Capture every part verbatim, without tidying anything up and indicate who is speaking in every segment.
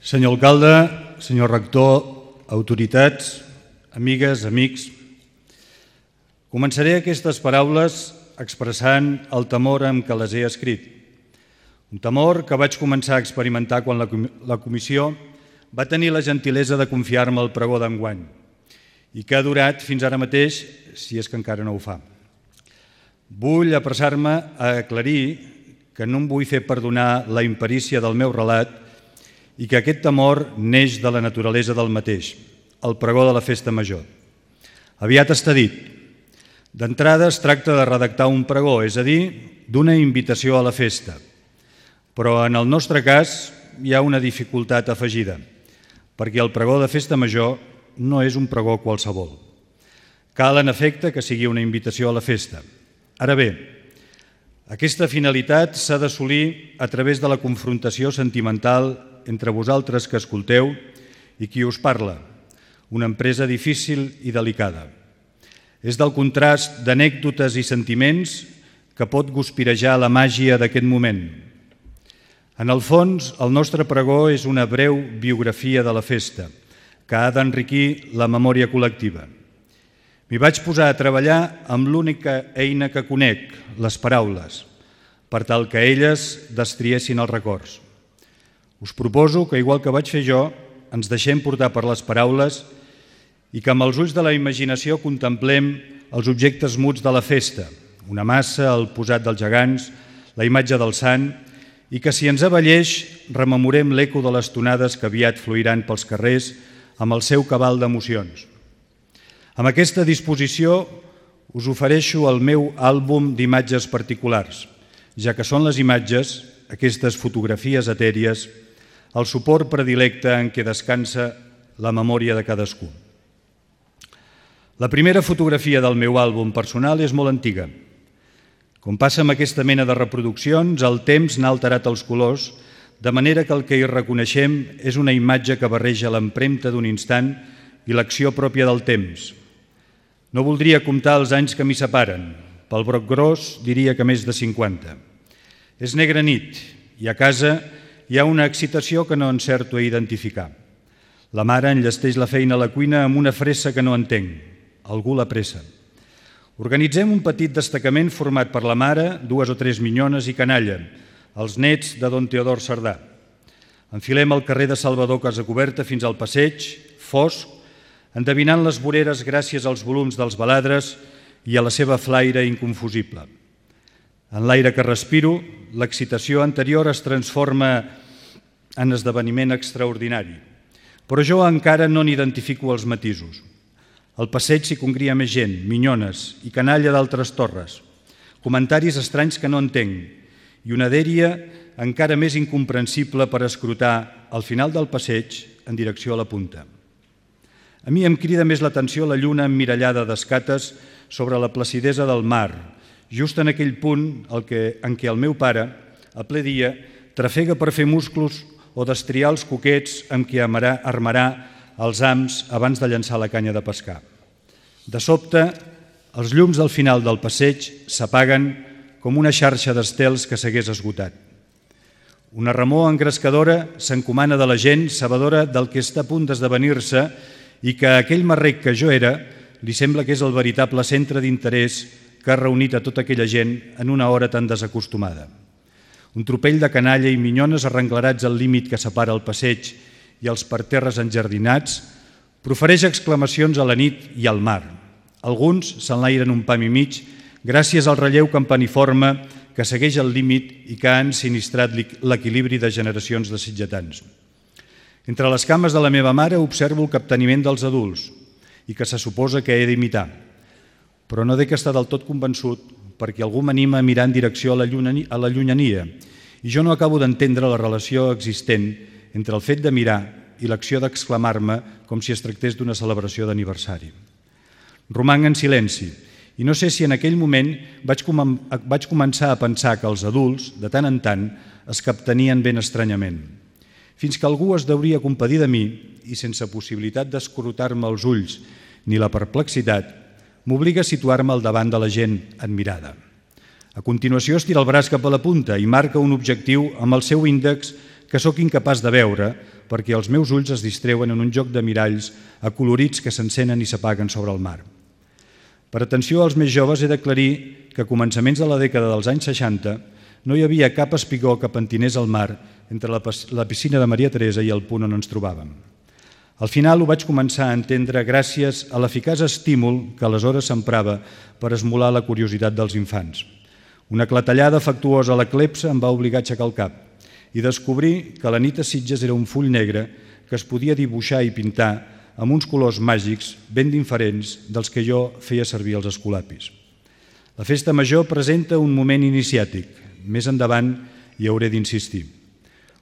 Speaker 1: Senyor alcalde, senyor rector, autoritats, amigues, amics, començaré aquestes paraules expressant el temor amb què les he escrit. Un temor que vaig començar a experimentar quan la comissió va tenir la gentilesa de confiar-me el pregó d'enguany i que ha durat fins ara mateix, si és que encara no ho fa. Vull apressar-me a aclarir que no em vull fer perdonar la imperícia del meu relat i que aquest temor neix de la naturalesa del mateix, el pregó de la festa major. Aviat està dit. D'entrada es tracta de redactar un pregó, és a dir, d'una invitació a la festa. Però en el nostre cas hi ha una dificultat afegida, perquè el pregó de festa major no és un pregó qualsevol. Cal, en efecte, que sigui una invitació a la festa. Ara bé, aquesta finalitat s'ha d'assolir a través de la confrontació sentimental entre vosaltres que escolteu i qui us parla, una empresa difícil i delicada. És del contrast d'anècdotes i sentiments que pot guspirejar la màgia d'aquest moment. En el fons, el nostre pregó és una breu biografia de la festa, que ha d'enriquir la memòria col·lectiva. M'hi vaig posar a treballar amb l'única eina que conec, les paraules, per tal que elles destriessin els records. Us proposo que, igual que vaig fer jo, ens deixem portar per les paraules i que amb els ulls de la imaginació contemplem els objectes muts de la festa, una massa, el posat dels gegants, la imatge del sant, i que, si ens avelleix, rememorem l'eco de les tonades que aviat fluiran pels carrers amb el seu cabal d'emocions. Amb aquesta disposició us ofereixo el meu àlbum d'imatges particulars, ja que són les imatges, aquestes fotografies etèries, el suport predilecte en què descansa la memòria de cadascú. La primera fotografia del meu àlbum personal és molt antiga. Com passa amb aquesta mena de reproduccions, el temps n'ha alterat els colors, de manera que el que hi reconeixem és una imatge que barreja l'empremta d'un instant i l'acció pròpia del temps. No voldria comptar els anys que m'hi separen. Pel broc gros diria que més de cinquanta. És negra nit i a casa hi ha una excitació que no encerto a identificar. La mare enllesteix la feina a la cuina amb una fressa que no entenc. Algú la pressa. Organitzem un petit destacament format per la mare, dues o tres minyones i canalla, els nets de don Teodor Cerdà. Enfilem el carrer de Salvador Casacoberta fins al passeig, fosc, endevinant les voreres gràcies als volums dels baladres i a la seva flaire inconfusible. En l'aire que respiro, l'excitació anterior es transforma en esdeveniment extraordinari. Però jo encara no n'identifico els matisos. Al passeig s'hi congria més gent, minyones i canalla d'altres torres, comentaris estranys que no entenc i una dèria encara més incomprensible per escrutar al final del passeig en direcció a la punta. A mi em crida més l'atenció la lluna emmirallada d'escates sobre la placidesa del mar, just en aquell punt en què el meu pare, a ple dia, trafega per fer musclos o destriar els coquets amb què armarà els hams abans de llançar la canya de pescar. De sobte, els llums del final del passeig s'apaguen com una xarxa d'estels que s'hagués esgotat. Una remor engrescadora s'encomana de la gent, sabedora del que està a punt d'esdevenir-se i que aquell marrec que jo era li sembla que és el veritable centre d'interès que ha reunit a tota aquella gent en una hora tan desacostumada. Un tropell de canalla i minyones arrenglerats al límit que separa el passeig i els parterres enjardinats profereix exclamacions a la nit i al mar. Alguns s'enlairen un pam i mig gràcies al relleu campaniforme que segueix el límit i que ha ensinistrat l'equilibri de generacions de sitgetans. Entre les cames de la meva mare observo el capteniment dels adults i que se suposa que he d'imitar. Però no dec estar del tot convençut perquè algú m'anima a mirar en direcció a la llunyania i jo no acabo d'entendre la relació existent entre el fet de mirar i l'acció d'exclamar-me com si es tractés d'una celebració d'aniversari. Romanc en silenci i no sé si en aquell moment vaig, com vaig començar a pensar que els adults, de tant en tant, es captenien ben estranyament. Fins que algú es deuria compadir de mi i, sense possibilitat d'escrutar-me els ulls ni la perplexitat, m'obliga a situar-me al davant de la gent admirada. A continuació estira el braç cap a la punta i marca un objectiu amb el seu índex que sóc incapaç de veure, perquè els meus ulls es distreuen en un joc de miralls acolorits que s'encenen i s'apaguen sobre el mar. Per atenció als més joves he d'aclarir que a començaments de la dècada dels anys seixanta no hi havia cap espigó que pentinés al mar entre la piscina de Maria Teresa i el punt on ens trobàvem. Al final ho vaig començar a entendre gràcies a l'eficaç estímul que aleshores s'emprava per esmolar la curiositat dels infants. Una clatellada afectuosa a la clepsa em va obligar a aixecar el cap i descobrir que la nit a Sitges era un full negre que es podia dibuixar i pintar amb uns colors màgics ben diferents dels que jo feia servir als escolapis. La festa major presenta un moment iniciàtic. Més endavant hi hauré d'insistir.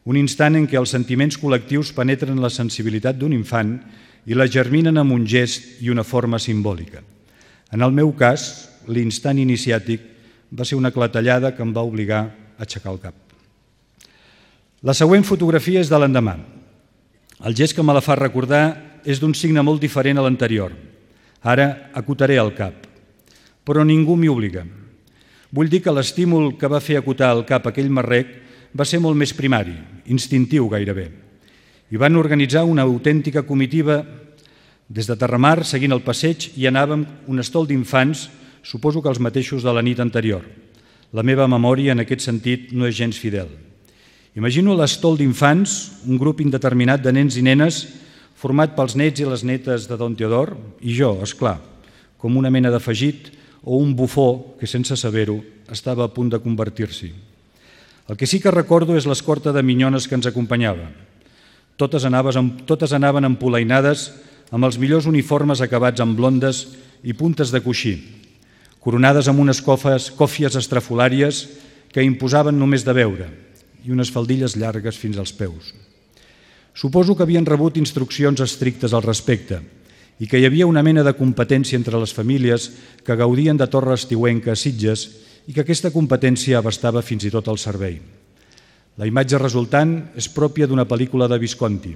Speaker 1: Un instant en què els sentiments col·lectius penetren la sensibilitat d'un infant i la germinen amb un gest i una forma simbòlica. En el meu cas, l'instant iniciàtic va ser una clatellada que em va obligar a aixecar el cap. La següent fotografia és de l'endemà. El gest que me la fa recordar és d'un signe molt diferent a l'anterior. Ara acotaré el cap, però ningú m'hi obliga. Vull dir que l'estímul que va fer acotar el cap aquell marrec va ser molt més primari, instintiu gairebé. I van organitzar una autèntica comitiva des de Terramar, seguint el passeig, i anàvem un estol d'infants, suposo que els mateixos de la nit anterior. La meva memòria en aquest sentit no és gens fidel. Imagino l'estol d'infants, un grup indeterminat de nens i nenes, format pels nets i les netes de Don Teodor, i jo, esclar, com una mena d'afegit o un bufó que, sense saber-ho, estava a punt de convertir-s'hi. El que sí que recordo és l'escorta de minyones que ens acompanyava. Totes anaven empolainades amb els millors uniformes acabats amb blondes i puntes de coixí, coronades amb unes còfies estrafolàries que imposaven només de veure i unes faldilles llargues fins als peus. Suposo que havien rebut instruccions estrictes al respecte i que hi havia una mena de competència entre les famílies que gaudien de torre estiuenca a Sitges i que aquesta competència abastava fins i tot el servei. La imatge resultant és pròpia d'una pel·lícula de Visconti.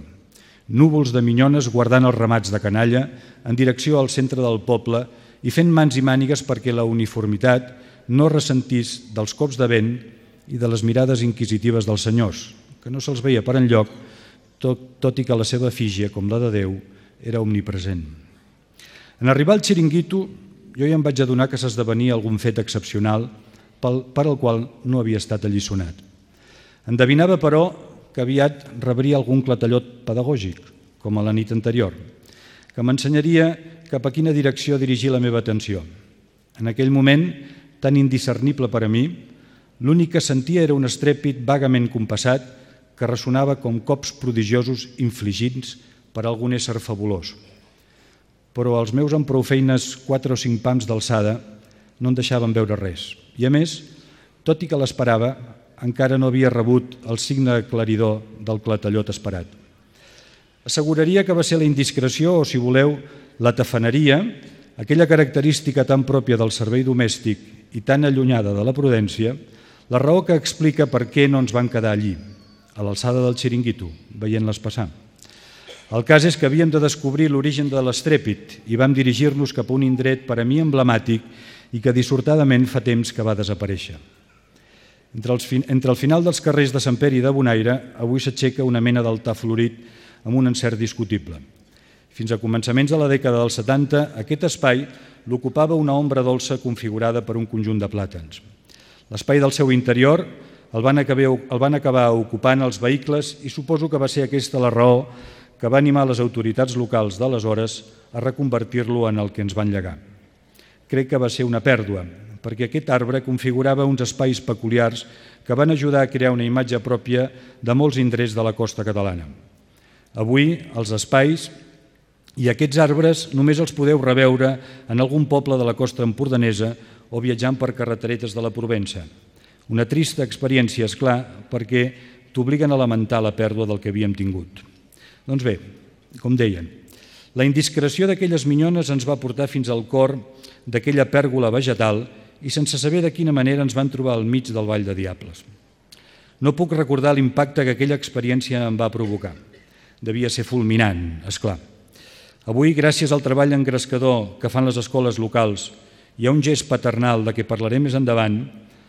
Speaker 1: Núvols de minyones guardant els ramats de canalla en direcció al centre del poble i fent mans i mànigues perquè la uniformitat no ressentís dels cops de vent i de les mirades inquisitives dels senyors, que no se'ls veia per enlloc, tot, tot i que la seva efígie, com la de Déu, era omnipresent. En arribar al xiringuito, jo ja em vaig adonar que s'esdevenia algun fet excepcional per al qual no havia estat alliçonat. Endevinava, però, que aviat rebria algun clatellot pedagògic, com a la nit anterior, que m'ensenyaria cap a quina direcció dirigir la meva atenció. En aquell moment, tan indiscernible per a mi, l'únic que sentia era un estrèpit vagament compassat que ressonava com cops prodigiosos infligits per algun ésser fabulós. Però els meus amb prou feines quatre o cinc pams d'alçada no en deixaven veure res. I a més, tot i que l'esperava, encara no havia rebut el signe aclaridor del clatellot esperat. Asseguraria que va ser la indiscreció o, si voleu, la tafaneria, aquella característica tan pròpia del servei domèstic i tan allunyada de la prudència, la raó que explica per què no ens van quedar allí, a l'alçada del xiringuito, veient-les passar. El cas és que havíem de descobrir l'origen de l'estrèpit i vam dirigir-nos cap a un indret per a mi emblemàtic i que dissortadament fa temps que va desaparèixer. Entre, els, entre el final dels carrers de Sant Pere i de Bonaire, avui s'aixeca una mena d'altar florit amb un encert discutible. Fins a començaments de la dècada dels setanta, aquest espai l'ocupava una ombra dolça configurada per un conjunt de plàtans. L'espai del seu interior el van, acabar, el van acabar ocupant els vehicles i suposo que va ser aquesta la raó que va animar les autoritats locals d'aleshores a reconvertir-lo en el que ens van llegar. Crec que va ser una pèrdua, perquè aquest arbre configurava uns espais peculiars que van ajudar a crear una imatge pròpia de molts indrets de la costa catalana. Avui, els espais i aquests arbres només els podeu reveure en algun poble de la costa empordanesa o viatjant per carreteretes de la Provença. Una trista experiència, és clar, perquè t'obliguen a lamentar la pèrdua del que havíem tingut. Doncs bé, com deien, la indiscreció d'aquelles minyones ens va portar fins al cor d'aquella pèrgola vegetal i sense saber de quina manera ens van trobar al mig del Vall de Diables. No puc recordar l'impacte que aquella experiència em va provocar. Devia ser fulminant, és clar. Avui, gràcies al treball engrescador que fan les escoles locals i a un gest paternal de què parlaré més endavant,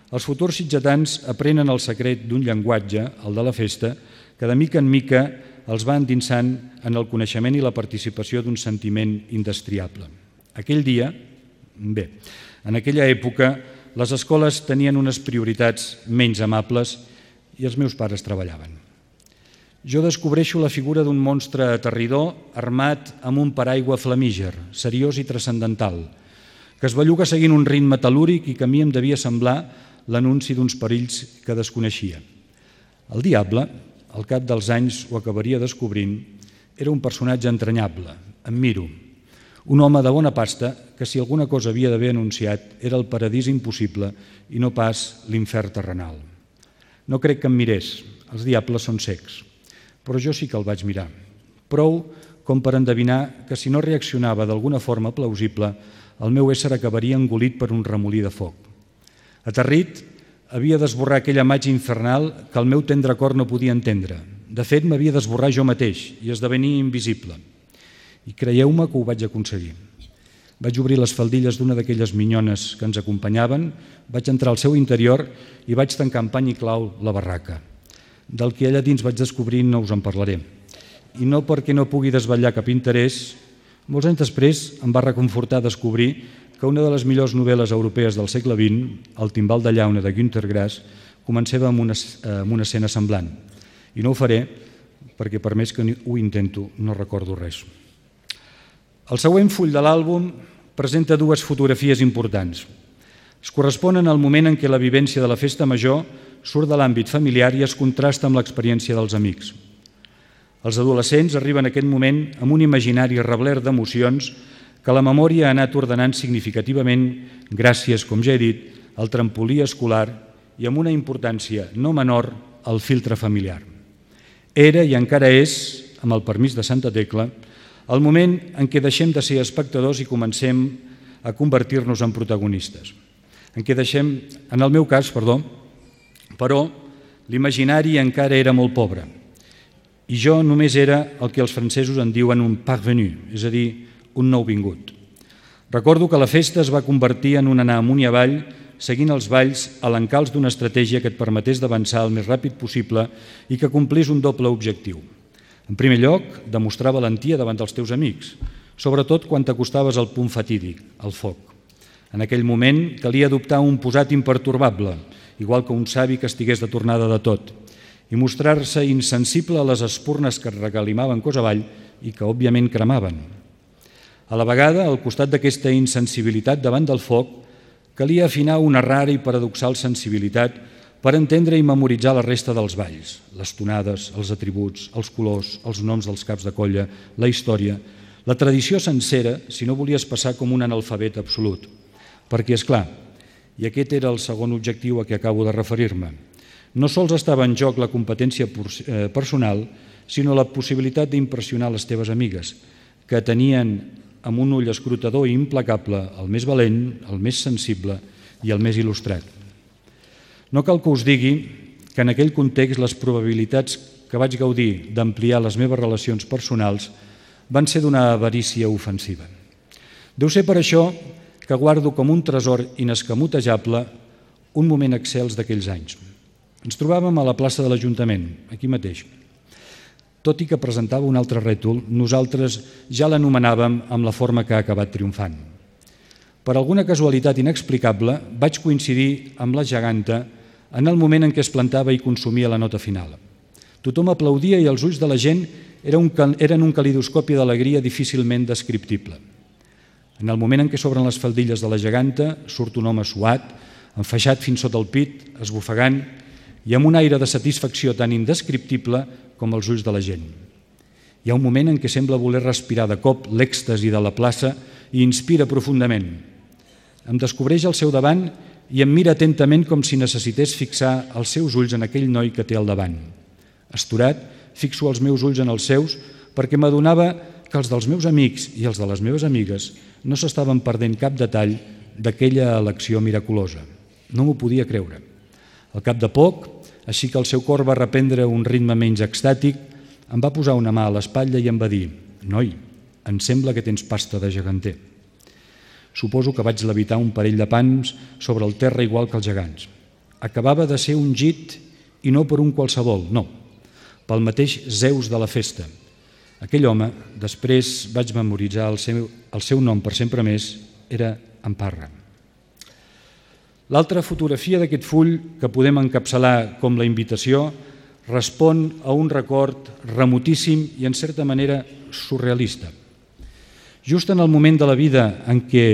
Speaker 1: els futurs sitgetans aprenen el secret d'un llenguatge, el de la festa, que de mica en mica els va endinsant en el coneixement i la participació d'un sentiment indestriable. Aquell dia, bé, en aquella època, les escoles tenien unes prioritats menys amables i els meus pares treballaven. Jo descobreixo la figura d'un monstre aterridor armat amb un paraigua flamíger, seriós i transcendental, que es belluga seguint un ritme tel·lúric i que a mi em devia semblar l'anunci d'uns perills que desconeixia. El diable, al cap dels anys ho acabaria descobrint, era un personatge entranyable, em miro, un home de bona pasta que si alguna cosa havia d'haver anunciat era el paradís impossible i no pas l'infern terrenal. No crec que em mirés, els diables són cecs, però jo sí que el vaig mirar. Prou com per endevinar que si no reaccionava d'alguna forma plausible, el meu ésser acabaria engolit per un remolí de foc. Aterrit, havia d'esborrar aquella imatge infernal que el meu tendre cor no podia entendre. De fet, m'havia d'esborrar jo mateix i esdevenir invisible. I creieu-me que ho vaig aconseguir. Vaig obrir les faldilles d'una d'aquelles minyones que ens acompanyaven, vaig entrar al seu interior i vaig tancar amb pany i clau la barraca. Del que allà dins vaig descobrir no us en parlaré. I no perquè no pugui desvetllar cap interès, molts anys després em va reconfortar descobrir que una de les millors novel·les europees del segle vint, El timbal de llauna de Günter Grass, començava amb una, amb una escena semblant. I no ho faré perquè per més que ho intento no recordo res. El següent full de l'àlbum presenta dues fotografies importants. Es corresponen al moment en què la vivència de la festa major surt de l'àmbit familiar i es contrasta amb l'experiència dels amics. Els adolescents arriben a aquest moment amb un imaginari rebler d'emocions que la memòria ha anat ordenant significativament gràcies, com ja he dit, al trampolí escolar i amb una importància no menor al filtre familiar. Era i encara és, amb el permís de Santa Tecla, el moment en què deixem de ser espectadors i comencem a convertir-nos en protagonistes. En què deixem, en el meu cas, perdó, però l'imaginari encara era molt pobre i jo només era el que els francesos en diuen un parvenu, és a dir, un nouvingut. Recordo que la festa es va convertir en un anar amunt i avall seguint els balls a l'encalç d'una estratègia que et permetés d'avançar el més ràpid possible i que complís un doble objectiu. En primer lloc, demostrar valentia davant dels teus amics, sobretot quan t'acostaves al punt fatídic, al foc. En aquell moment calia adoptar un posat impertorbable, igual que un savi que estigués de tornada de tot, i mostrar-se insensible a les espurnes que es regalimaven cos avall i que, òbviament, cremaven. A la vegada, al costat d'aquesta insensibilitat davant del foc, calia afinar una rara i paradoxal sensibilitat per entendre i memoritzar la resta dels balls, les tonades, els atributs, els colors, els noms dels caps de colla, la història, la tradició sencera, si no volies passar com un analfabet absolut. Perquè, és clar, i aquest era el segon objectiu a què acabo de referir-me, no sols estava en joc la competència personal, sinó la possibilitat d'impressionar les teves amigues, que tenien amb un ull escrutador i implacable el més valent, el més sensible i el més il·lustrat. No cal que us digui que en aquell context les probabilitats que vaig gaudir d'ampliar les meves relacions personals van ser d'una avarícia ofensiva. Deu ser per això que guardo com un tresor inescamotejable un moment excels d'aquells anys. Ens trobàvem a la plaça de l'Ajuntament, aquí mateix. Tot i que presentava un altre rètol, nosaltres ja l'anomenàvem amb la forma que ha acabat triomfant. Per alguna casualitat inexplicable, vaig coincidir amb la geganta en el moment en què es plantava i consumia la nota final. Tothom aplaudia i els ulls de la gent eren un calidoscopi d'alegria difícilment descriptible. En el moment en què s'obren les faldilles de la geganta, surt un home suat, enfaixat fins sota el pit, esbufegant, i amb un aire de satisfacció tan indescriptible com els ulls de la gent. Hi ha un moment en què sembla voler respirar de cop l'èxtasi de la plaça i inspira profundament. Em descobreix al seu davant i em mira atentament com si necessités fixar els seus ulls en aquell noi que té al davant. Astorat, fixo els meus ulls en els seus perquè m'adonava que els dels meus amics i els de les meves amigues no s'estaven perdent cap detall d'aquella elecció miraculosa. No m'ho podia creure. Al cap de poc, així que el seu cor va reprendre un ritme menys extàtic, em va posar una mà a l'espatlla i em va dir: «Noi, em sembla que tens pasta de geganter». Suposo que vaig levitar un parell de pans sobre el terra igual que els gegants. Acabava de ser ungit i no per un qualsevol, no, pel mateix Zeus de la festa. Aquell home, després vaig memoritzar el seu, el seu nom per sempre més, era en Parra. L'altra fotografia d'aquest full, que podem encapçalar com la invitació, respon a un record remotíssim i, en certa manera, surrealista. Just en el moment de la vida en què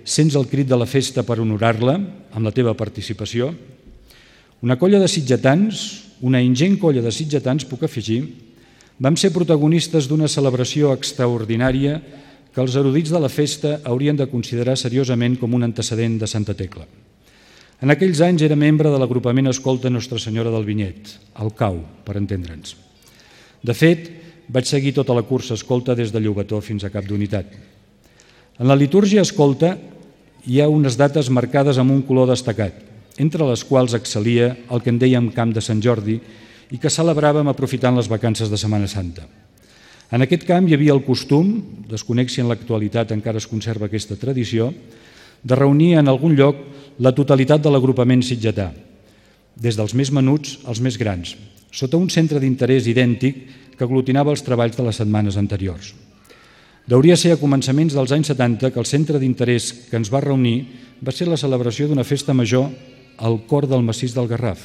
Speaker 1: sents el crit de la festa per honorar-la, amb la teva participació, una colla de sitgetans, una ingent colla de sitgetans, puc afegir, vam ser protagonistes d'una celebració extraordinària que els erudits de la festa haurien de considerar seriosament com un antecedent de Santa Tecla. En aquells anys era membre de l'agrupament escolta Nostra Senyora del Vinyet, el C A U, per entendre'ns. De fet, vaig seguir tota la cursa escolta des de Llobató fins a Cap d'Unitat. En la litúrgia escolta hi ha unes dates marcades amb un color destacat, entre les quals excel·lia el que en dèiem Camp de Sant Jordi i que celebràvem aprofitant les vacances de Setmana Santa. En aquest camp hi havia el costum, desconec si en l'actualitat encara es conserva aquesta tradició, de reunir en algun lloc la totalitat de l'agrupament sitgetà, des dels més menuts als més grans, sota un centre d'interès idèntic que aglutinava els treballs de les setmanes anteriors. Deuria ser a començaments dels anys setanta que el centre d'interès que ens va reunir va ser la celebració d'una festa major al cor del massís del Garraf,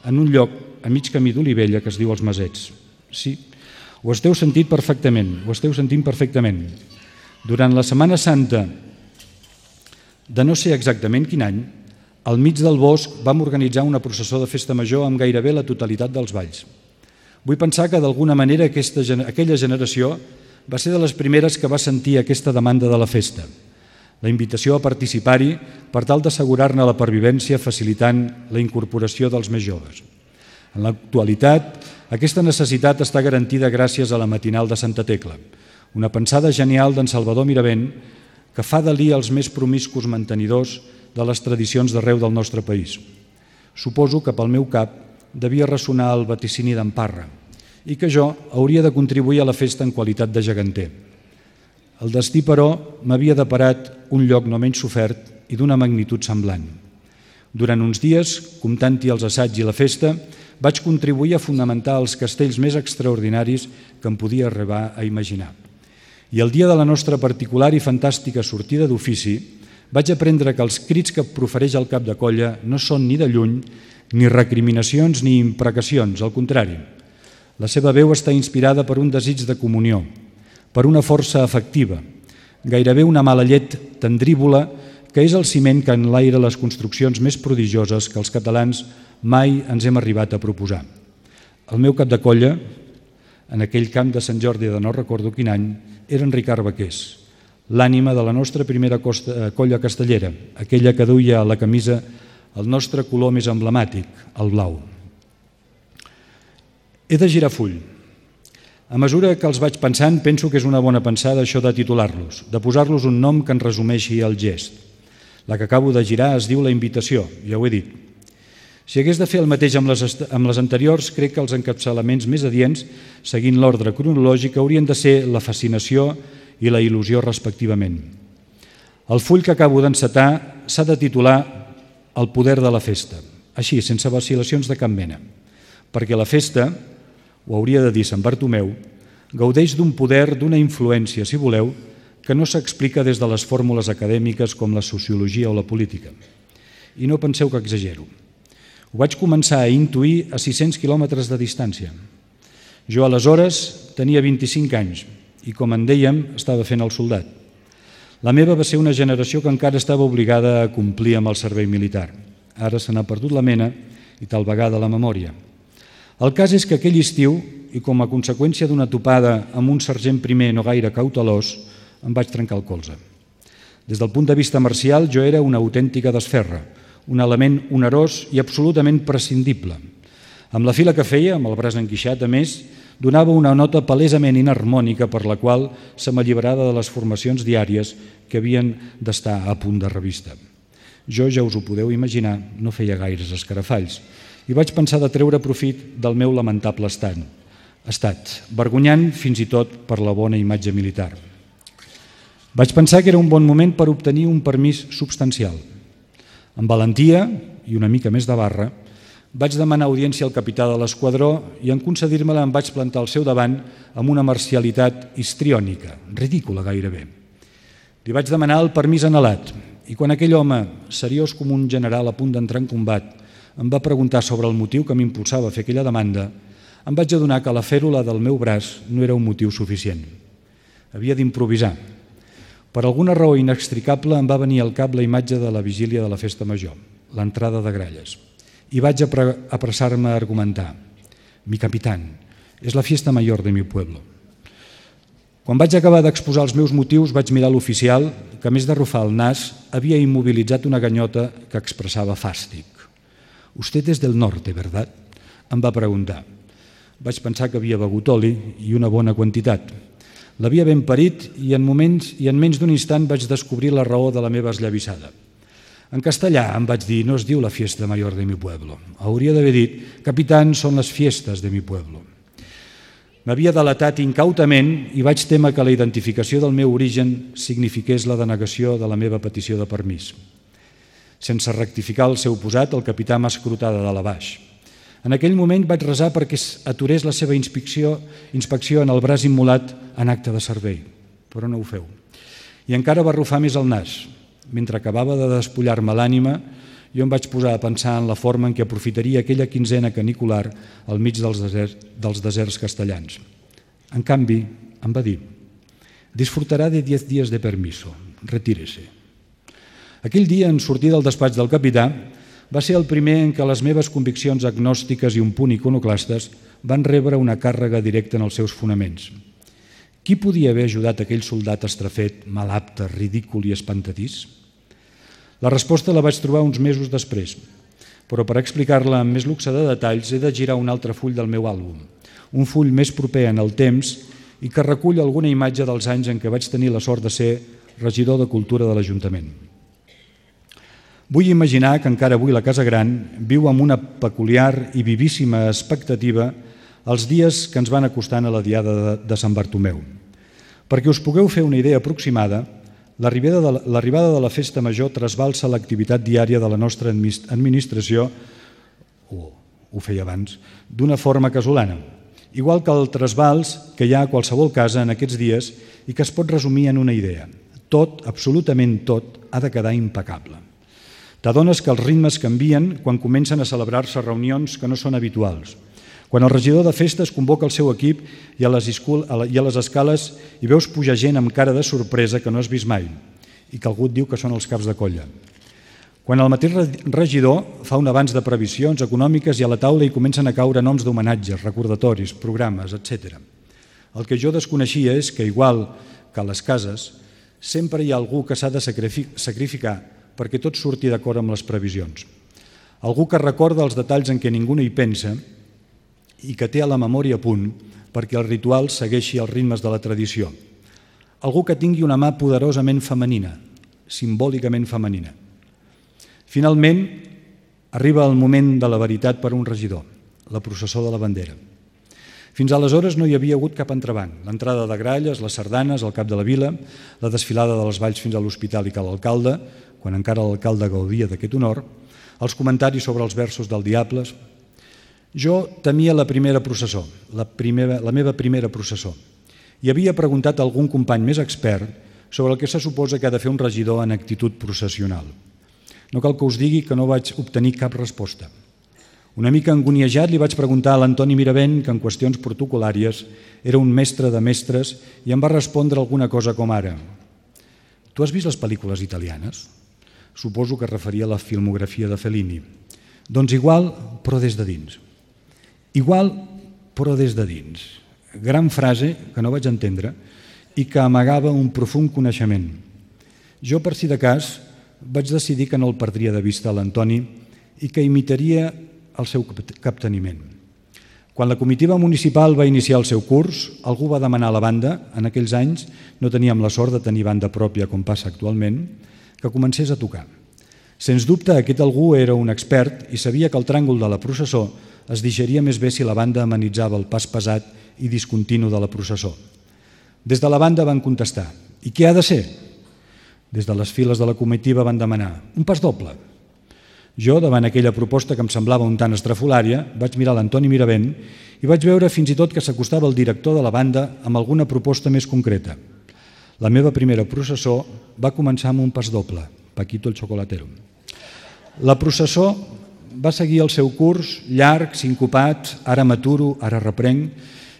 Speaker 1: en un lloc a mig camí d'Olivella que es diu Els Masets. Sí, ho esteu sentint perfectament, ho esteu sentint perfectament. Durant la Setmana Santa de no sé exactament quin any, al mig del bosc vam organitzar una processó de festa major amb gairebé la totalitat dels balls. Vull pensar que d'alguna manera aquesta, aquella generació va ser de les primeres que va sentir aquesta demanda de la festa, la invitació a participar-hi per tal d'assegurar-ne la pervivència facilitant la incorporació dels més joves. En l'actualitat, aquesta necessitat està garantida gràcies a la matinal de Santa Tecla, una pensada genial d'en Salvador Miravent que fa d'Alí els més promiscus mantenidors de les tradicions d'arreu del nostre país. Suposo que pel meu cap devia ressonar el vaticini d'en Parra i que jo hauria de contribuir a la festa en qualitat de geganter. El destí, però, m'havia deparat un lloc no menys sofert i d'una magnitud semblant. Durant uns dies, comptant-hi els assaigs i la festa, vaig contribuir a fonamentar els castells més extraordinaris que em podia arribar a imaginar. I el dia de la nostra particular i fantàstica sortida d'ofici vaig aprendre que els crits que profereix el cap de colla no són ni de lluny ni recriminacions ni imprecacions, al contrari. La seva veu està inspirada per un desig de comunió, per una força afectiva, gairebé una mala llet tendrívola que és el ciment que enlaira les construccions més prodigioses que els catalans mai ens hem arribat a proposar. El meu cap de colla, en aquell camp de Sant Jordi de no recordo quin any, era en Ricard Baqués, l'ànima de la nostra primera costa, colla castellera, aquella que duia a la camisa el nostre color més emblemàtic, el blau. He de girar full. A mesura que els vaig pensant, penso que és una bona pensada això de titular-los, de posar-los un nom que en resumeixi el gest. La que acabo de girar es diu La Invitació, ja ho he dit. Si hagués de fer el mateix amb les, amb les anteriors, crec que els encapçalaments més adients, seguint l'ordre cronològic, haurien de ser la fascinació i la il·lusió respectivament. El full que acabo d'encetar s'ha de titular El poder de la festa, així, sense vacil·lacions de cap mena, perquè la festa, ho hauria de dir Sant Bartomeu, gaudeix d'un poder, d'una influència, si voleu, que no s'explica des de les fórmules acadèmiques com la sociologia o la política. I no penseu que exagero. Ho vaig començar a intuir a sis-cents quilòmetres de distància. Jo aleshores tenia vint-i-cinc anys i, com en dèiem, estava fent el soldat. La meva va ser una generació que encara estava obligada a complir amb el servei militar. Ara se n'ha perdut la mena i tal vegada la memòria. El cas és que aquell estiu, i com a conseqüència d'una topada amb un sergent primer no gaire cautelós, em vaig trencar el colze. Des del punt de vista marcial, jo era una autèntica desferra, un element onerós i absolutament prescindible. Amb la fila que feia, amb el braç enguixat, a més, donava una nota palesament inharmònica per la qual se m'alliberava de les formacions diàries que havien d'estar a punt de revista. Jo, ja us ho podeu imaginar, no feia gaires escarafalls i vaig pensar de treure profit del meu lamentable estat, estat, vergonyant fins i tot per la bona imatge militar. Vaig pensar que era un bon moment per obtenir un permís substancial. Amb valentia i una mica més de barra, Vaig demanar audiència al capità de l'esquadró i en concedir-me-la em vaig plantar al seu davant amb una marcialitat histriònica, ridícula gairebé. Li vaig demanar el permís anhelat i quan aquell home, seriós com un general a punt d'entrar en combat, em va preguntar sobre el motiu que m'impulsava a fer aquella demanda, em vaig adonar que la fèrula del meu braç no era un motiu suficient. Havia d'improvisar. Per alguna raó inextricable em va venir al cap la imatge de la vigília de la festa major, l'entrada de gralles. I vaig apressar-me a argumentar. Mi capitán, és la fiesta mayor de mi pueblo. Quan vaig acabar d'exposar els meus motius, vaig mirar l'oficial, que a més d'arrufar el nas, havia immobilitzat una ganyota que expressava fàstic. «Usted és del norte, ¿verdad?», em va preguntar. Vaig pensar que havia begut oli i una bona quantitat. L'havia ben parit i en, moments, i en menys d'un instant vaig descobrir la raó de la meva esllavissada. En castellà em vaig dir, no es diu la fiesta mayor de mi pueblo. Hauria d'haver dit, capitán, són les fiestes de mi pueblo. M'havia delatat incautament i vaig témer que la identificació del meu origen signifiqués la denegació de la meva petició de permís. Sense rectificar el seu posat, el capità m'ha escrutat de dalt a baix. En aquell moment vaig resar perquè aturés la seva inspecció, inspecció en el braç immolat en acte de servei, però no ho feu. I encara va arrufar més el nas. Mentre acabava de despullar-me l'ànima, jo em vaig posar a pensar en la forma en què aprofitaria aquella quinzena canicular al mig dels deserts, dels deserts castellans. En canvi, em va dir, disfrutarà de diez días de permiso, retírese. Aquell dia, en sortir del despatx del capità, va ser el primer en què les meves conviccions agnòstiques i un punt iconoclastes van rebre una càrrega directa en els seus fonaments. Qui podia haver ajudat aquell soldat estrafet, malapte, ridícul i espantadís? La resposta la vaig trobar uns mesos després, però per explicar-la amb més luxe de detalls he de girar un altre full del meu àlbum, un full més proper en el temps i que recull alguna imatge dels anys en què vaig tenir la sort de ser regidor de Cultura de l'Ajuntament. Vull imaginar que encara avui la Casa Gran viu amb una peculiar i vivíssima expectativa els dies que ens van acostant a la diada de Sant Bartomeu. Perquè us pugueu fer una idea aproximada, l'arribada de la festa major trasbalsa l'activitat diària de la nostra administració, o ho feia abans, d'una forma casolana, igual que el trasbals que hi ha a qualsevol casa en aquests dies i que es pot resumir en una idea. Tot, absolutament tot, ha de quedar impecable. T'adones que els ritmes canvien quan comencen a celebrar-se reunions que no són habituals, quan el regidor de festes convoca el seu equip i a les escales hi veus pujar gent amb cara de sorpresa que no has vist mai i que algú et diu que són els caps de colla. Quan el mateix regidor fa un avanç de previsions econòmiques i a la taula hi comencen a caure noms d'homenatges, recordatoris, programes, etcètera. El que jo desconeixia és que, igual que a les cases, sempre hi ha algú que s'ha de sacrificar perquè tot surti d'acord amb les previsions. Algú que recorda els detalls en què ningú no hi pensa i que té a la memòria a punt perquè el ritual segueixi els ritmes de la tradició. Algú que tingui una mà poderosament femenina, simbòlicament femenina. Finalment, arriba el moment de la veritat per a un regidor, la processó de la bandera. Fins aleshores no hi havia hagut cap entrebanc. L'entrada de gralles, les sardanes, el cap de la vila, la desfilada dels balls fins a l'hospital i cal alcalde, quan encara l'alcalde gaudia d'aquest honor, els comentaris sobre els versos del Diables. Jo temia la primera processó, la, primera, la meva primera processó, i havia preguntat a algun company més expert sobre el que se suposa que ha de fer un regidor en actitud processional. No cal que us digui que no vaig obtenir cap resposta. Una mica angoniejat li vaig preguntar a l'Antoni Miravent, que en qüestions protocolàries era un mestre de mestres, i em va respondre alguna cosa com ara. Tu has vist les pel·lícules italianes? Suposo que es referia a la filmografia de Fellini. Doncs igual, però des de dins. Igual, però des de dins. Gran frase que no vaig entendre i que amagava un profund coneixement. Jo, per si de cas, vaig decidir que no el perdria de vista a l'Antoni i que imitaria el seu capteniment. Quan la comitiva municipal va iniciar el seu curs, algú va demanar a la banda, en aquells anys no teníem la sort de tenir banda pròpia com passa actualment, que comencés a tocar. Sens dubte, aquest algú era un expert i sabia que el tràngol de la processó es digeria més bé si la banda amenitzava el pas pesat i discontinu de la processó. Des de la banda van contestar, i què ha de ser? Des de les files de la comitiva van demanar, un pas doble. Jo, davant aquella proposta que em semblava un tant estrafolària, vaig mirar l'Antoni Miravent i vaig veure fins i tot que s'acostava el director de la banda amb alguna proposta més concreta. La meva primera processó va començar amb un pas doble, Paquito el Chocolatero. La processó va seguir el seu curs, llarg, sincopat, ara m'aturo, ara reprenc,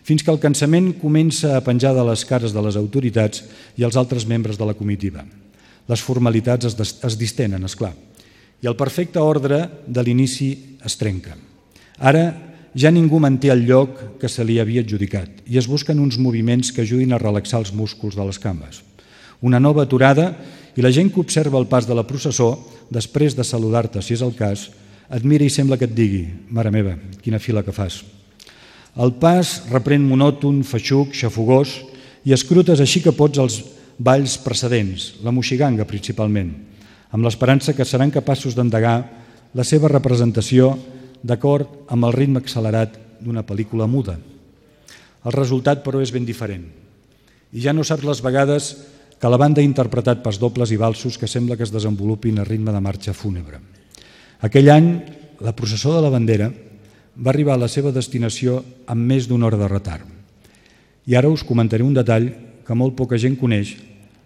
Speaker 1: fins que el cansament comença a penjar de les cares de les autoritats i els altres membres de la comitiva. Les formalitats es, es distenen, esclar, i el perfecte ordre de l'inici es trenca. Ara ja ningú manté el lloc que se li havia adjudicat i es busquen uns moviments que ajudin a relaxar els músculs de les cames. Una nova aturada i la gent que observa el pas de la processó, després de saludar-te si és el cas, et mira i sembla que et digui: mare meva, quina fila que fas. El pas reprèn monòton, feixuc, xafogós i escrutes així que pots els balls precedents, la moixiganga principalment, amb l'esperança que seran capaços d'endegar la seva representació d'acord amb el ritme accelerat d'una pel·lícula muda. El resultat, però, és ben diferent. I ja no saps les vegades que la banda ha interpretat pas dobles i valsos que sembla que es desenvolupin a ritme de marxa fúnebre. Aquell any, la processó de la bandera va arribar a la seva destinació amb més d'una hora de retard. I ara us comentaré un detall que molt poca gent coneix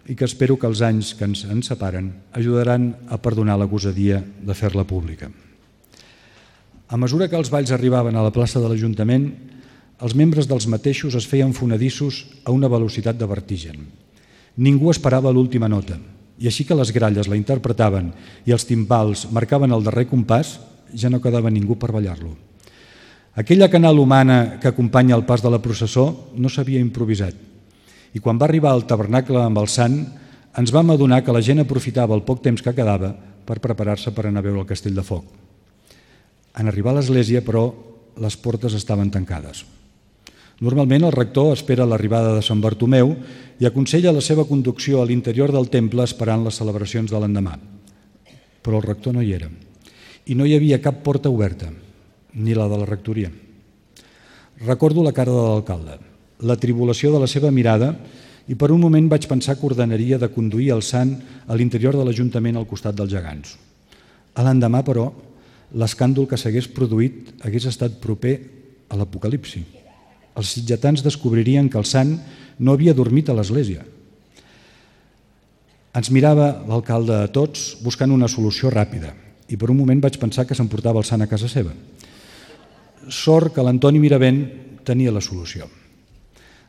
Speaker 1: i que espero que els anys que ens en separen ajudaran a perdonar la gosadia de fer-la pública. A mesura que els balls arribaven a la plaça de l'Ajuntament, els membres dels mateixos es feien fonedissos a una velocitat de vertigen. Ningú esperava l'última nota, i així que les gralles la interpretaven i els timbals marcaven el darrer compàs, ja no quedava ningú per ballar-lo. Aquella canal humana que acompanya el pas de la processó no s'havia improvisat, i quan va arribar al tabernacle amb el sant, ens vam adonar que la gent aprofitava el poc temps que quedava per preparar-se per anar a veure el Castell de Foc. En arribar a l'església, però, les portes estaven tancades. Normalment el rector espera l'arribada de Sant Bartomeu i aconsella la seva conducció a l'interior del temple esperant les celebracions de l'endemà. Però el rector no hi era. I no hi havia cap porta oberta, ni la de la rectoria. Recordo la cara de l'alcalde, la tribulació de la seva mirada, i per un moment vaig pensar que ordenaria de conduir el sant a l'interior de l'Ajuntament al costat dels gegants. A l'endemà, però, l'escàndol que s'hagués produït hagués estat proper a l'apocalipsi. Els sitgetans descobririen que el sant no havia dormit a l'església. Ens mirava l'alcalde a tots buscant una solució ràpida i per un moment vaig pensar que s'emportava el sant a casa seva. Sort que l'Antoni Miravent tenia la solució.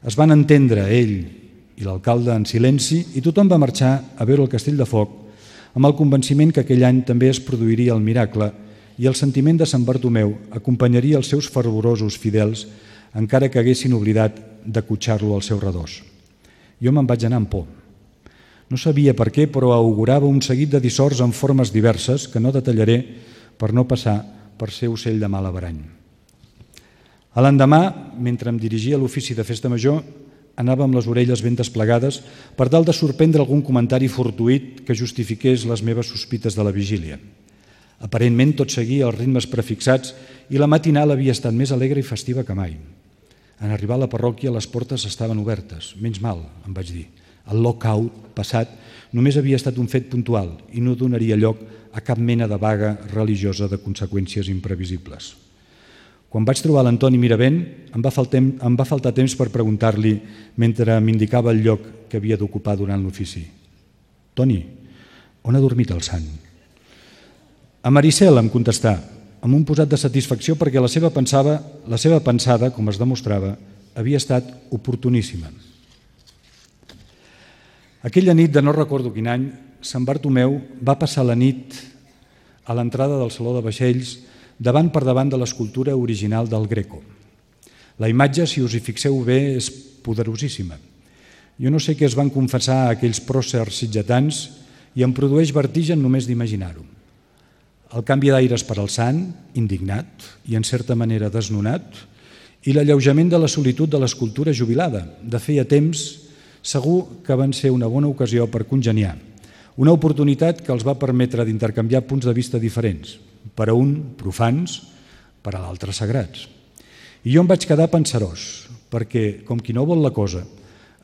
Speaker 1: Es van entendre ell i l'alcalde en silenci i tothom va marxar a veure el Castell de Foc amb el convenciment que aquell any també es produiria el miracle i el sentiment de Sant Bartomeu acompanyaria els seus fervorosos fidels encara que haguessin oblidat d'acotxar-lo al seu redós. Jo me'n vaig anar amb por. No sabia per què, però augurava un seguit de dissorts en formes diverses que no detallaré per no passar per ser ocell de mal averany. A l'endemà, mentre em dirigia a l'ofici de festa major, anava amb les orelles ben desplegades per tal de sorprendre algun comentari fortuït que justifiqués les meves sospites de la vigília. Aparentment tot seguia els ritmes prefixats i la matinal havia estat més alegre i festiva que mai. En arribar a la parròquia les portes estaven obertes, menys mal, em vaig dir. El lock-out passat només havia estat un fet puntual i no donaria lloc a cap mena de vaga religiosa de conseqüències imprevisibles. Quan vaig trobar l'Antoni Miravent, em va faltar, em va faltar temps per preguntar-li mentre m'indicava el lloc que havia d'ocupar durant l'ofici. Toni, on ha dormit el sant? A Maricel, em contestà, amb un posat de satisfacció perquè la seva, pensava, la seva pensada, com es demostrava, havia estat oportuníssima. Aquella nit de no recordo quin any, Sant Bartomeu va passar la nit a l'entrada del Saló de Vaixells davant per davant de l'escultura original del Greco. La imatge, si us hi fixeu bé, és poderosíssima. Jo no sé què es van confessar a aquells pròcers sitgetans i em produeix vertigen només d'imaginar-ho. El canvi d'aires per al sant, indignat i en certa manera desnonat, i l'alleujament de la solitud de l'escultura jubilada. De feia temps, segur que van ser una bona ocasió per congeniar, una oportunitat que els va permetre d'intercanviar punts de vista diferents, per a un profans, per a l'altre sagrats. I jo em vaig quedar pensarós, perquè, com qui no vol la cosa,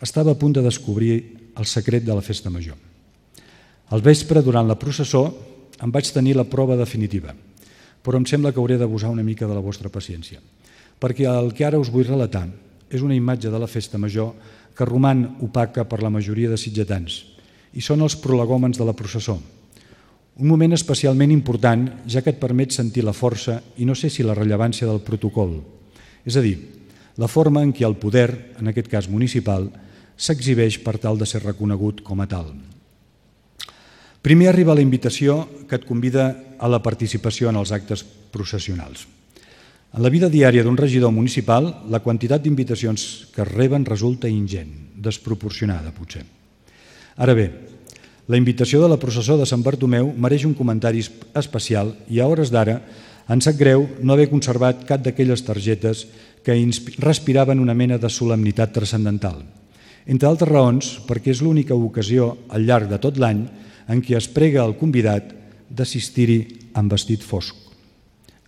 Speaker 1: estava a punt de descobrir el secret de la festa major. Al vespre, durant la processó, em vaig tenir la prova definitiva, però em sembla que hauré d'abusar una mica de la vostra paciència, perquè el que ara us vull relatar és una imatge de la festa major que roman opaca per la majoria de sitgetans, i són els prolegòmens de la processó. Un moment especialment important, ja que et permet sentir la força i no sé si la rellevància del protocol, és a dir, la forma en què el poder, en aquest cas municipal, s'exhibeix per tal de ser reconegut com a tal. Primer arriba la invitació que et convida a la participació en els actes processionals. En la vida diària d'un regidor municipal, la quantitat d'invitacions que es reben resulta ingent, desproporcionada potser. Ara bé, la invitació de la processó de Sant Bartomeu mereix un comentari especial i a hores d'ara ens sap greu no haver conservat cap d'aquelles targetes que respiraven una mena de solemnitat transcendental. Entre altres raons, perquè és l'única ocasió al llarg de tot l'any en què es prega al convidat d'assistir-hi amb vestit fosc.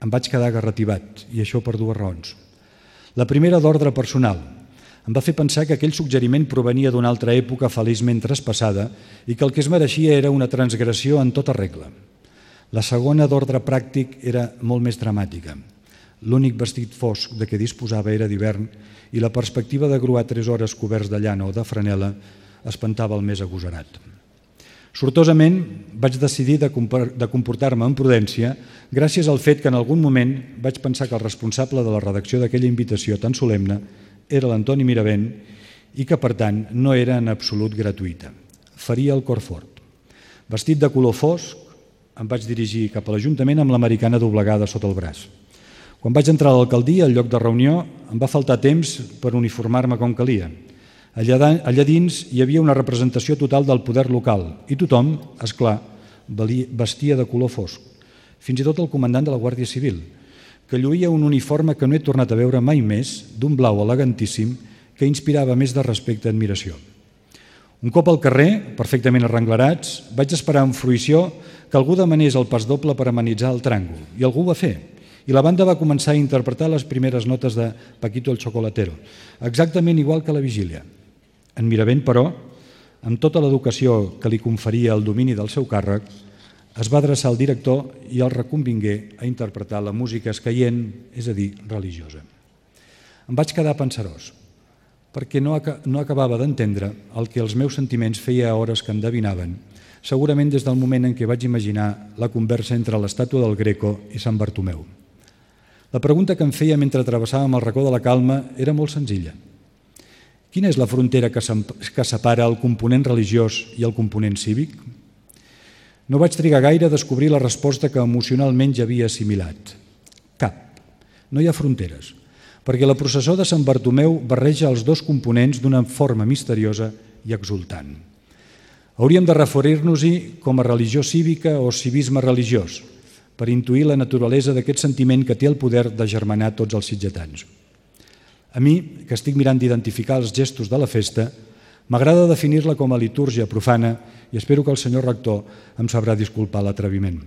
Speaker 1: Em vaig quedar garrativat, i això per dues raons. La primera d'ordre personal. Em va fer pensar que aquell suggeriment provenia d'una altra època feliçment traspassada i que el que es mereixia era una transgressió en tota regla. La segona d'ordre pràctic era molt més dramàtica. L'únic vestit fosc de què disposava era d'hivern i la perspectiva de gruar tres hores coberts de llana o de franel·la espantava el més agosarat. Sortosament vaig decidir de comportar-me amb prudència gràcies al fet que en algun moment vaig pensar que el responsable de la redacció d'aquella invitació tan solemne era l'Antoni Miravent i que, per tant, no era en absolut gratuïta. Faria el cor fort. Vestit de color fosc, em vaig dirigir cap a l'Ajuntament amb l'americana doblegada sota el braç. Quan vaig entrar a l'alcaldia, al lloc de reunió, em va faltar temps per uniformar-me com calia. Allà dins hi havia una representació total del poder local i tothom, esclar, vestia de color fosc. Fins i tot el comandant de la Guàrdia Civil, que lluïa un uniforme que no he tornat a veure mai més, d'un blau elegantíssim, que inspirava més de respecte i admiració. Un cop al carrer, perfectament arrenglerats, vaig esperar amb fruïció que algú demanés el pas doble per amenitzar el tràngol, i algú ho va fer. I la banda va començar a interpretar les primeres notes de Paquito el Chocolatero, exactament igual que la vigília. En Miravent, però, amb tota l'educació que li conferia el domini del seu càrrec, es va adreçar al director i el reconvingué a interpretar la música escaient, és a dir, religiosa. Em vaig quedar pensarós, perquè no acabava d'entendre el que els meus sentiments feia hores que endevinaven, segurament des del moment en què vaig imaginar la conversa entre l'estàtua del Greco i Sant Bartomeu. La pregunta que em feia mentre travessàvem el racó de la Calma era molt senzilla. Quina és la frontera que separa el component religiós i el component cívic? No vaig trigar gaire a descobrir la resposta que emocionalment ja havia assimilat. Cap. No hi ha fronteres, perquè la processó de Sant Bartomeu barreja els dos components d'una forma misteriosa i exultant. Hauríem de referir-nos-hi com a religió cívica o civisme religiós, per intuir la naturalesa d'aquest sentiment que té el poder de germanar tots els sitgetans. A mi, que estic mirant d'identificar els gestos de la festa, m'agrada definir-la com a litúrgia profana i espero que el senyor rector em sabrà disculpar l'atreviment.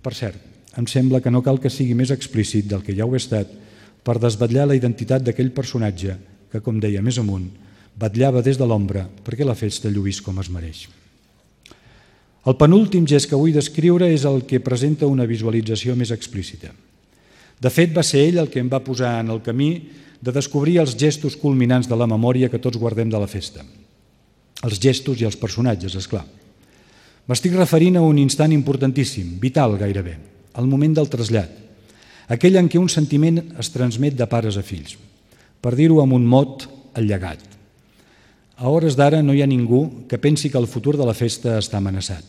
Speaker 1: Per cert, em sembla que no cal que sigui més explícit del que ja ho he estat per desvetllar la identitat d'aquell personatge que, com deia més amunt, vetllava des de l'ombra perquè la festa lluís com es mereix. El penúltim gest que vull descriure és el que presenta una visualització més explícita. De fet, va ser ell el que em va posar en el camí de descobrir els gestos culminants de la memòria que tots guardem de la festa. Els gestos i els personatges, és clar. M'estic referint a un instant importantíssim, vital gairebé, el moment del trasllat, aquell en què un sentiment es transmet de pares a fills. Per dir-ho amb un mot, el llegat. A hores d'ara no hi ha ningú que pensi que el futur de la festa està amenaçat.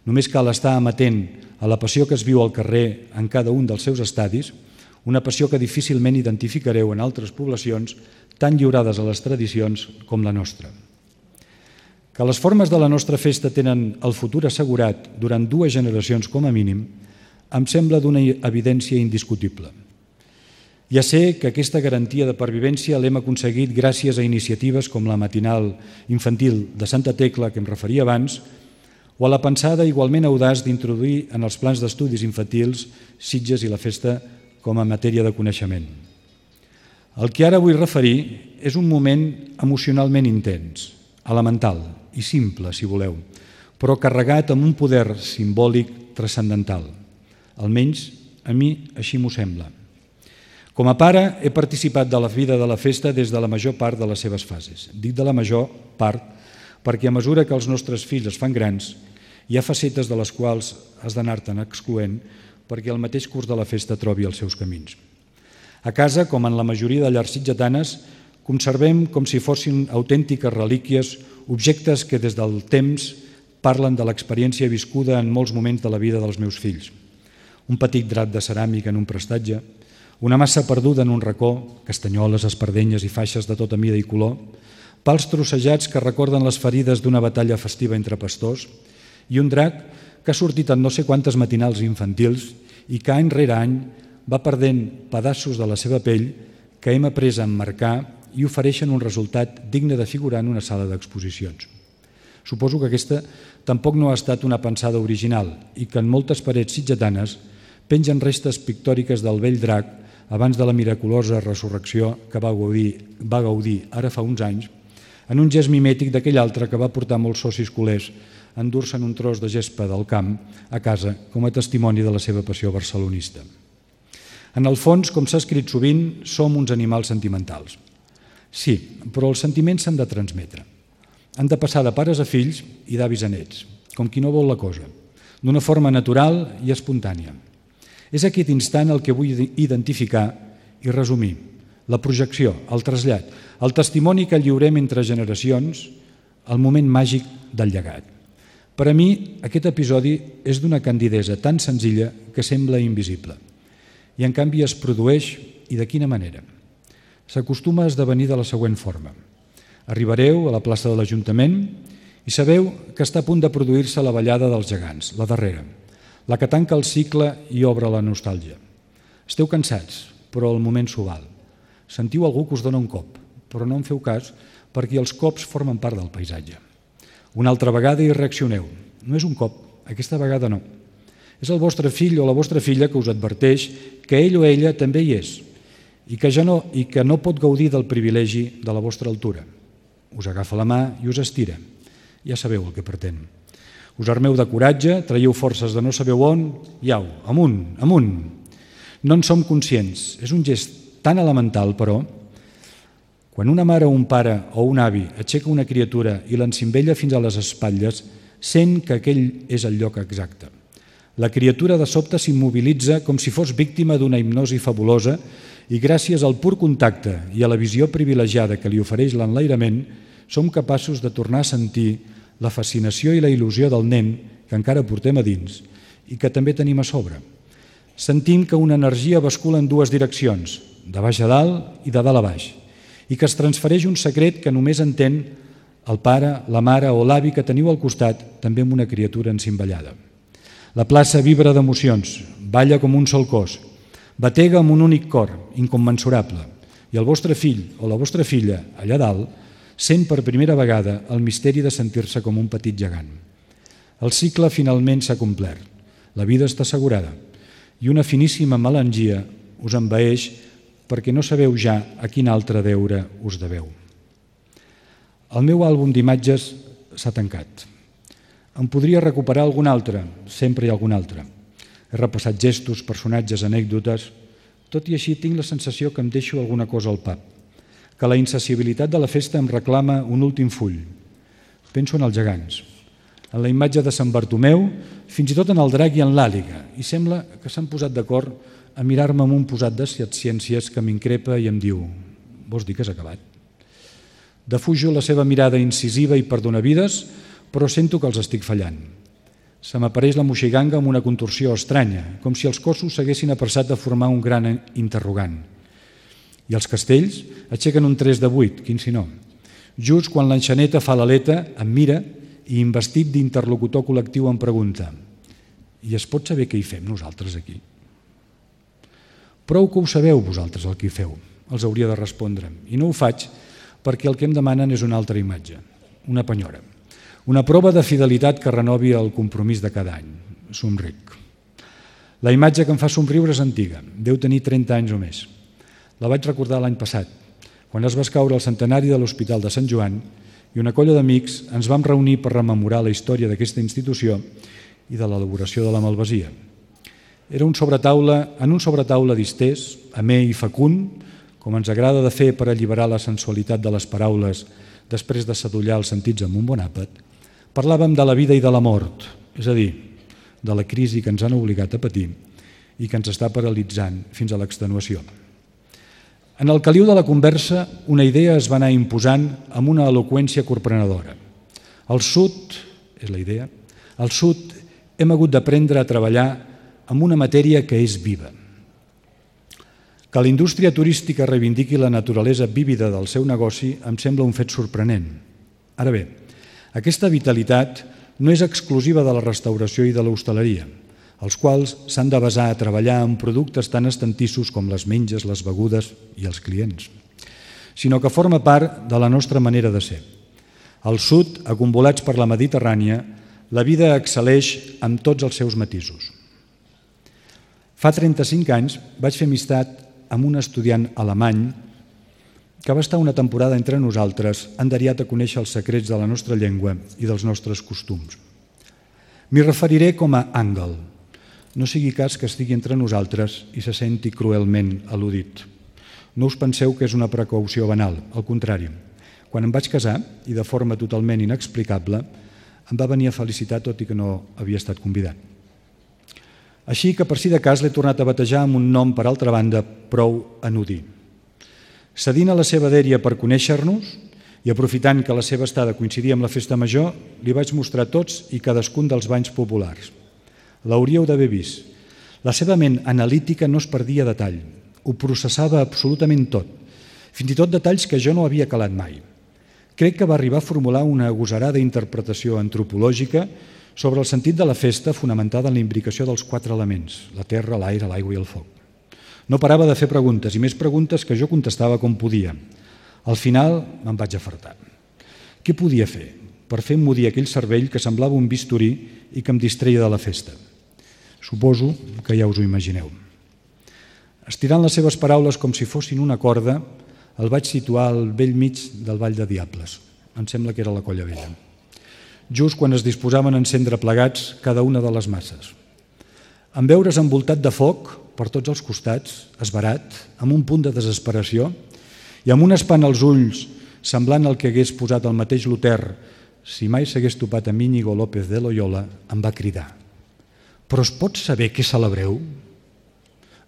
Speaker 1: Només cal estar amatent a la passió que es viu al carrer en cada un dels seus estadis, una passió que difícilment identificareu en altres poblacions tan lliurades a les tradicions com la nostra. Que les formes de la nostra festa tenen el futur assegurat durant dues generacions com a mínim, em sembla d'una evidència indiscutible. Ja sé que aquesta garantia de pervivència l'hem aconseguit gràcies a iniciatives com la matinal infantil de Santa Tecla, que em referia abans, o a la pensada igualment audaç d'introduir en els plans d'estudis infantils Sitges i la festa com a matèria de coneixement. El que ara vull referir és un moment emocionalment intens, elemental i simple, si voleu, però carregat amb un poder simbòlic transcendental. Almenys a mi així m'ho sembla. Com a pare, he participat de la vida de la festa des de la major part de les seves fases. Dic de la major part perquè a mesura que els nostres fills es fan grans, hi ha facetes de les quals has d'anar-te'n excloent perquè el mateix curs de la festa trobi els seus camins. A casa, com en la majoria de llars sitgetanes, conservem com si fossin autèntiques relíquies, objectes que des del temps parlen de l'experiència viscuda en molts moments de la vida dels meus fills. Un petit drap de ceràmica en un prestatge, una massa perduda en un racó, castanyoles, espardenyes i faixes de tota mida i color, pals trossejats que recorden les ferides d'una batalla festiva entre pastors i un drac que ha sortit en no sé quantes matinals infantils i que any rere any va perdent pedaços de la seva pell que hem après a emmarcar i ofereixen un resultat digne de figurar en una sala d'exposicions. Suposo que aquesta tampoc no ha estat una pensada original i que en moltes parets sitgetanes pengen restes pictòriques del vell drac abans de la miraculosa resurrecció que va gaudir, va gaudir ara fa uns anys, en un gest mimètic d'aquell altre que va portar molts socis culers a endur-se'n un tros de gespa del camp a casa com a testimoni de la seva passió barcelonista. En el fons, com s'ha escrit sovint, som uns animals sentimentals. Sí, però els sentiments s'han de transmetre. Han de passar de pares a fills i d'avis a nets, com qui no vol la cosa, d'una forma natural i espontània. És aquest instant el que vull identificar i resumir. La projecció, el trasllat, el testimoni que lliurem entre generacions, el moment màgic del llegat. Per a mi, aquest episodi és d'una candidesa tan senzilla que sembla invisible. I en canvi es produeix, i de quina manera? S'acostuma a esdevenir de la següent forma. Arribareu a la plaça de l'Ajuntament i sabeu que està a punt de produir-se la ballada dels gegants, la darrera, la que tanca el cicle i obre la nostàlgia. Esteu cansats, però el moment s'ho val. Sentiu algú que us dona un cop, però no en feu cas perquè els cops formen part del paisatge. Una altra vegada hi reaccioneu. No és un cop, aquesta vegada no. És el vostre fill o la vostra filla que us adverteix que ell o ella també hi és i que, ja no, i que no pot gaudir del privilegi de la vostra altura. Us agafa la mà i us estira. Ja sabeu el que pretén. Us armeu de coratge, traieu forces de no sabeu on i au, amunt, amunt. No en som conscients. És un gest tan elemental, però, quan una mare o un pare o un avi aixeca una criatura i l'encimbella fins a les espatlles, sent que aquell és el lloc exacte. La criatura de sobte s'immobilitza com si fos víctima d'una hipnosi fabulosa i gràcies al pur contacte i a la visió privilegiada que li ofereix l'enlairament, som capaços de tornar a sentir la fascinació i la il·lusió del nen que encara portem a dins i que també tenim a sobre. Sentim que una energia bascula en dues direccions, de baix a dalt i de dalt a baix, i que es transfereix un secret que només entén el pare, la mare o l'avi que teniu al costat, també amb una criatura encimbellada. La plaça vibra d'emocions, balla com un sol cos, batega amb un únic cor, incommensurable, i el vostre fill o la vostra filla, allà dalt, sent per primera vegada el misteri de sentir-se com un petit gegant. El cicle finalment s'ha complert, la vida està assegurada i una finíssima melangia us envaeix perquè no sabeu ja a quin altre deure us deveu. El meu àlbum d'imatges s'ha tancat. Em podria recuperar algun altre, sempre hi ha algun altre. He repassat gestos, personatges, anècdotes. Tot i així tinc la sensació que em deixo alguna cosa al pap, que la insaciabilitat de la festa em reclama un últim full. Penso en els gegants, en la imatge de Sant Bartomeu, fins i tot en el drac i en l'àliga, i sembla que s'han posat d'acord a mirar-me amb un posat de ciències que m'increpa i em diu: vols dir que has acabat? Defujo la seva mirada incisiva i perdonavides, però sento que els estic fallant. Se m'apareix la moixiganga amb una contorsió estranya, com si els cossos s'haguessin apressat a formar un gran interrogant. I els castells aixequen un tres de vuit, quin si no. Just quan l'enxaneta fa l'aleta, em mira i, investit d'interlocutor col·lectiu, em pregunta: i es pot saber què hi fem nosaltres aquí? Prou que ho sabeu vosaltres el que hi feu, els hauria de respondre, i no ho faig perquè el que em demanen és una altra imatge, una penyora, una prova de fidelitat que renovi el compromís de cada any. Somric. La imatge que em fa somriure és antiga, deu tenir trenta anys o més. La vaig recordar l'any passat, quan es va escaure el centenari de l'Hospital de Sant Joan i una colla d'amics ens vam reunir per rememorar la història d'aquesta institució i de l'elaboració de la malvasia. Era un sobretaula, en un sobretaula distès, amè i fecund, com ens agrada de fer per alliberar la sensualitat de les paraules després de sadollar els sentits amb un bon àpat, parlàvem de la vida i de la mort, és a dir, de la crisi que ens han obligat a patir i que ens està paralitzant fins a l'extenuació. En el caliu de la conversa, una idea es va anar imposant amb una eloqüència corprenedora. Al sud, és la idea, al sud hem hagut d'aprendre a treballar amb una matèria que és viva. Que la indústria turística reivindiqui la naturalesa vívida del seu negoci em sembla un fet sorprenent. Ara bé, aquesta vitalitat no és exclusiva de la restauració i de l'hostaleria, els quals s'han de basar a treballar en productes tan estantissos com les menges, les begudes i els clients, sinó que forma part de la nostra manera de ser. Al sud, acumbolats per la Mediterrània, la vida excel·leix amb tots els seus matisos. Fa trenta-cinc anys vaig fer amistat amb un estudiant alemany que va estar una temporada entre nosaltres enderiat a conèixer els secrets de la nostra llengua i dels nostres costums. M'hi referiré com a Àngel. No sigui cas que estigui entre nosaltres i se senti cruelment al·ludit. No us penseu que és una precaució banal, al contrari. Quan em vaig casar, i de forma totalment inexplicable, em va venir a felicitar tot i que no havia estat convidat. Així que per si de cas l'he tornat a batejar amb un nom, per altra banda, prou anodí. Cedint a la seva dèria per conèixer-nos i aprofitant que la seva estada coincidia amb la festa major, li vaig mostrar tots i cadascun dels banys populars. L'hauríeu d'haver vist. La seva ment analítica no es perdia detall, ho processava absolutament tot, fins i tot detalls que jo no havia calat mai. Crec que va arribar a formular una agosarada interpretació antropològica sobre el sentit de la festa fonamentada en la imbricació dels quatre elements, la terra, l'aire, l'aigua i el foc. No parava de fer preguntes, i més preguntes que jo contestava com podia. Al final me'n vaig afartar. Què podia fer per fer emmudir aquell cervell que semblava un bisturí i que em distreia de la festa? Suposo que ja us ho imagineu. Estirant les seves paraules com si fossin una corda, el vaig situar al vell mig del Ball de Diables. Em sembla que era la Colla Vella. Just quan es disposaven a encendre plegats cada una de les masses. En veure's envoltat de foc per tots els costats, esverat, amb un punt de desesperació i amb un espant als ulls semblant al que hagués posat el mateix Luter si mai s'hagués topat amb Íñigo López de Loyola, em va cridar: «Però es pot saber què celebreu?»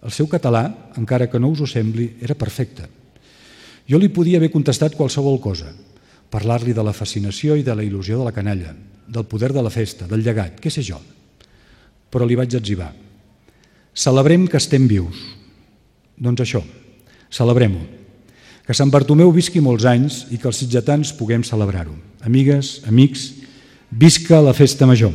Speaker 1: El seu català, encara que no us ho sembli, era perfecte. Jo li podia haver contestat qualsevol cosa, parlar-li de la fascinació i de la il·lusió de la canalla, del poder de la festa, del llegat, què sé jo. Però li vaig etzibar: «Celebrem que estem vius». Doncs això, celebrem-ho. Que Sant Bartomeu visqui molts anys i que els sitgetans puguem celebrar-ho. Amigues, amics, visca la festa major!